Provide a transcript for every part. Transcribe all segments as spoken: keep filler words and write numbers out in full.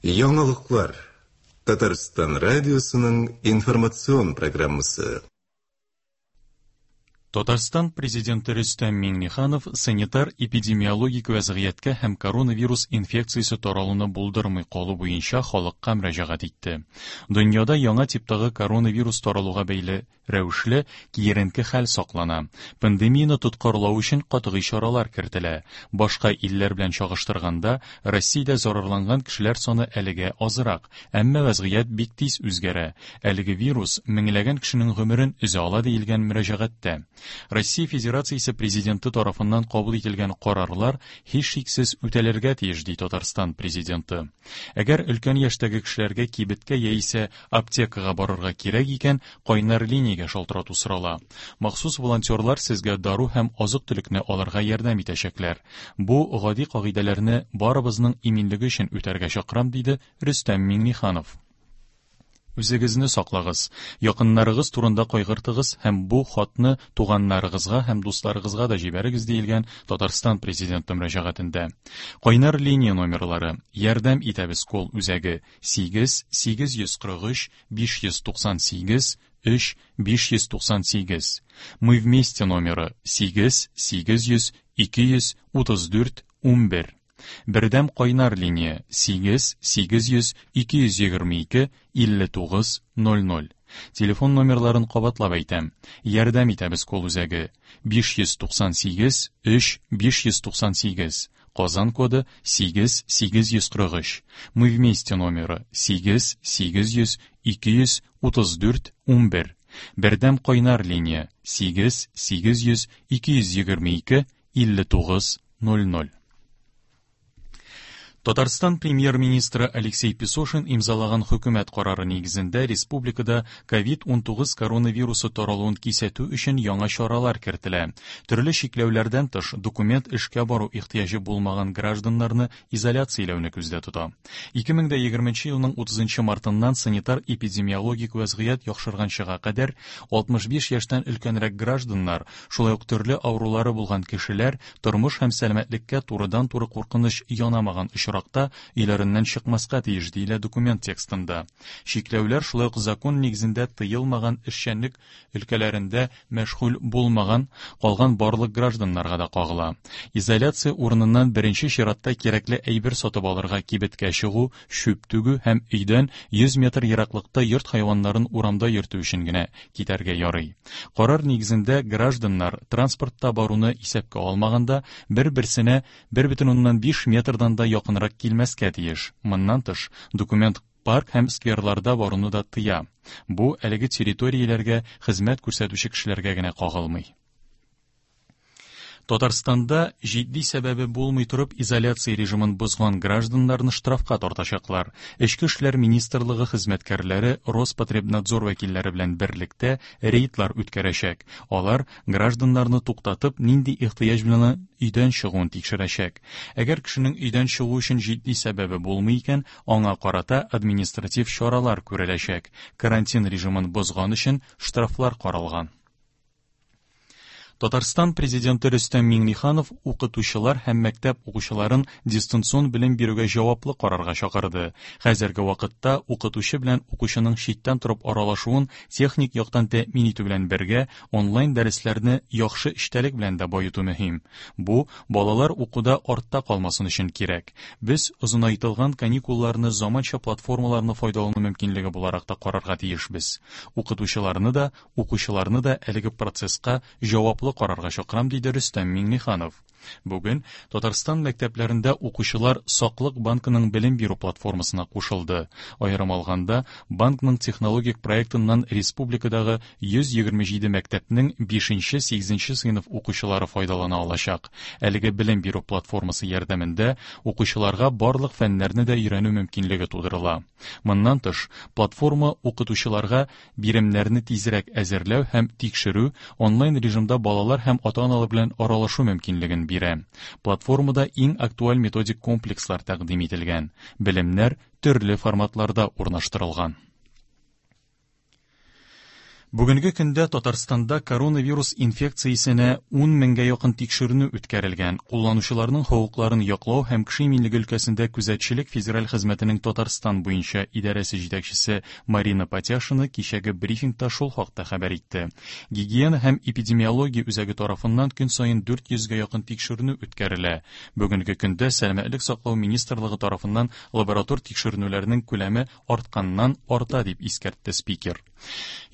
Яңалыклар. Татарстан радиосының информацион программасы. Татарстан президенты Рөстәм Миңнеханов санитар-эпидемиологик вәзгыятькә һәм коронавирус инфекциясе таралуны булдырмый калу буенча халыкка мөрәҗәгать итте. Дөньяда яңа типтагы коронавирус таралуга бәйле рәвешле киеренке хәл саклана. Пандемияне тоткарлау өчен катгый чаралар кертелә. Башка илләр белән чагыштырганда, Россиядә зарарланган кешеләр саны әлегә азрак, әмма вәзгыять бик тиз үзгәрә. Әлеге вирус меңләгән кешенең гомерен өзә ала диелгән мөрәҗәгатьтә. Россия Федерациясе президенты тарафыннан кабул ителгән карарлар һичшиксез үтәлергә тиеш, ди Татарстан президенты. Әгәр өлкән яшьтәге кешеләргә кибеткә яисә аптекага барырга кирәк икән, кайнар линиягә шалтырату сорала. Махсус волонтерлар сезгә дару һәм азык-төлекне алырга ярдәм итәчәкләр. Бу гади кагыйдәләрне барыбызның иминлеге өчен үтәргә чакырам, диде Рөстәм Миңнеханов. Үзегезне саклагыз, якыннарыгыз турында кайгыртыгыз һәм бу хатны туганнарыгызга һәм дусларыгызга да җибәрегез, диелгән Татарстан президенты мөрәҗәгатендә. Кайнар линия номерлары: Ярдәм итәбез кол үзәге сигез сигез йөз кырык өч биш йөз туксан сигез өч биш йөз туксан сигез. Мы вместе номеры сигез сигез йөз ике йөз утыз дүрт унбер. Бердәм кайнар линия сигез сигез йөз ике йөз егерме ике илле тугыз ноль ноль. Телефон номерларын кабатлап әйтәм. Ярдәм итәбез кол үзәге биш йөз туксан сигез өч биш йөз туксан сигез. Казан коды сигез сигез йөз кырык өч. Мы вместе номеры сигез сигез йөз ике йөз утыз дүрт унбер. Бердәм кайнар линия сигез сигез йөз ике йөз егерме ике илле тугыз ноль ноль. Татарстан премьер-министры Алексей Песошин имзалаган хөкүмәт карары нигезендә республикада ковид унтугыз коронавирусы таралуын кисәтү өчен яңа чаралар кертелә. Төрле чикләүләрдән тыш, документ эшкә бару ихтыяҗы булмаган гражданнарны изоляцияләүне күздә тота. Ике мең дә егерменче елның утызынчы мартыннан санитар-эпидемиологик вәзгыять яхшырганчыга кадәр алтмыш биш яшьтән өлкәнрәк гражданнар, шулай ук төрле авырулары булган кешеләр тормыш һәм сәламәтлеккә турыдан-туры куркыныч янамаган очракта өйләреннән чыкмаска тиеш, диелә документ текстында. Чикләүләр шулай ук закон нигезендә тыелмаган эшчәнлек өлкәләрендә мәшгуль булмаган калган барлык гражданнарга да кагыла. Изоляция урыныннан беренче чиратта кирәкле әйбер сатып алырга кибеткә чыгу, чүп түгү һәм өйдән йөз метр ераклыкта йорт хайваннарын урамда йөртү өчен генә китәргә ярый. Карар нигезендә гражданнар транспортта баруны исәпкә алмаганда бер-берсенә бер бөтен уннан биш метрдан да якынрак килмәскә тиеш. Моннан тыш, документ парк һәм скверларда баруны да тыя. Бу әлеге территорияләргә хезмәт күрсәтүче кешеләргә генә кагылмый. Татарстанда җитди сәбәбе булмый торып изоляция режимын бозган гражданнарны штрафка тартачаклар. Эчке эшләр министрлыгы хезмәткәрләре Роспотребнадзор вәкилләре белән берлектә рейдлар үткәрәчәк. Алар гражданнарны туктатып, нинди ихтыяҗ белән өйдән чыгуын тикшерәчәк. Әгәр кешенең өйдән чыгу өчен җитди сәбәбе булмый икән, аңа карата административ чаралар күреләчәк. Карантин режимын бозган өчен штрафлар каралган. Татарстан президенты Рөстәм Миңнеханов укытучылар һәм мәктәп укучыларын дистанцион белем бирүгә җаваплы карарга чакырды. Хәзерге вакытта укытучы белән укучының читтән торып аралашуын техник яктан тәэмин итү белән бергә онлайн дәресләрне яхшы эчтәлек белән дә баету мөһим. Бу балалар укуда артта калмасын өчен кирәк. Без озынайтылган каникулларны заманча платформаларны файдалану мөмкинлеге буларак та карарга тиешбез. Укытучыларны да, укучыларны да әлеге процесска җаваплы карарга чакырам, диде Рөстәм Миңнеханов. Бүген Татарстан мәктәпләрендә укучылар Саклык банкының белем бирү платформасына кушылды. Аерым алганда, банкның технологик проектыннан республикадагы йөз егерме җиде мәктәпнең бишенче, сигезенче сыйныф укучылары файдалана алачак. Әлеге белем бирү платформасы ярдәмендә укучыларга барлык фәннәрне дә өйрәнү мөмкинлеге тудырыла. Моннан тыш, платформа укытучыларга биремнәрне тизрәк әзерләү һәм тикшерү, онлайн режимда балалар һәм ата-аналар белән аралашу мөмкинлеген бирә. Платформада иң актуаль методик комплекслар тәкъдим ителгән. Белемнәр төрле форматларда урнаштырылган. Бүгенге көндә Татарстанда коронавирус инфекциясенә ун меңгә якын тикшеренү үткәрелгән. Кулланучыларның хокукларын яклау һәм кеше иминлеге өлкәсендә күзәтчелек федераль хезмәтенең Татарстан буенча идарәсе җитәкчесе Марина Патяшина кичәге брифингта шул хакта хәбәр итте. Гигиена һәм эпидемиология үзәге тарафыннан көн саен дүрт йөзгә якын тикшеренү үткәрелә. Бүгенге көндә Сәламәтлек саклау министрлыгы тарафыннан лаборатор тикшеренүләрнең күләме артканнан арта, дип искәртте спикер.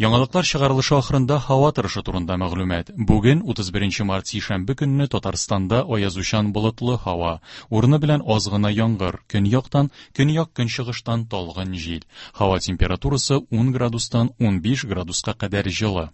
Яңалыклар чыгарылышы ахырында һава торышы турында мәгълүмат. Бүген утыз беренче март сишәмбе көнне Татарстанда аязучан болытлы һава, урыны белән аз гына яңгыр, көньяктан, көньяк-көнчыгыштан талгын җил. Һава температурасы ун градустан унбиш градуска кадәр җылы.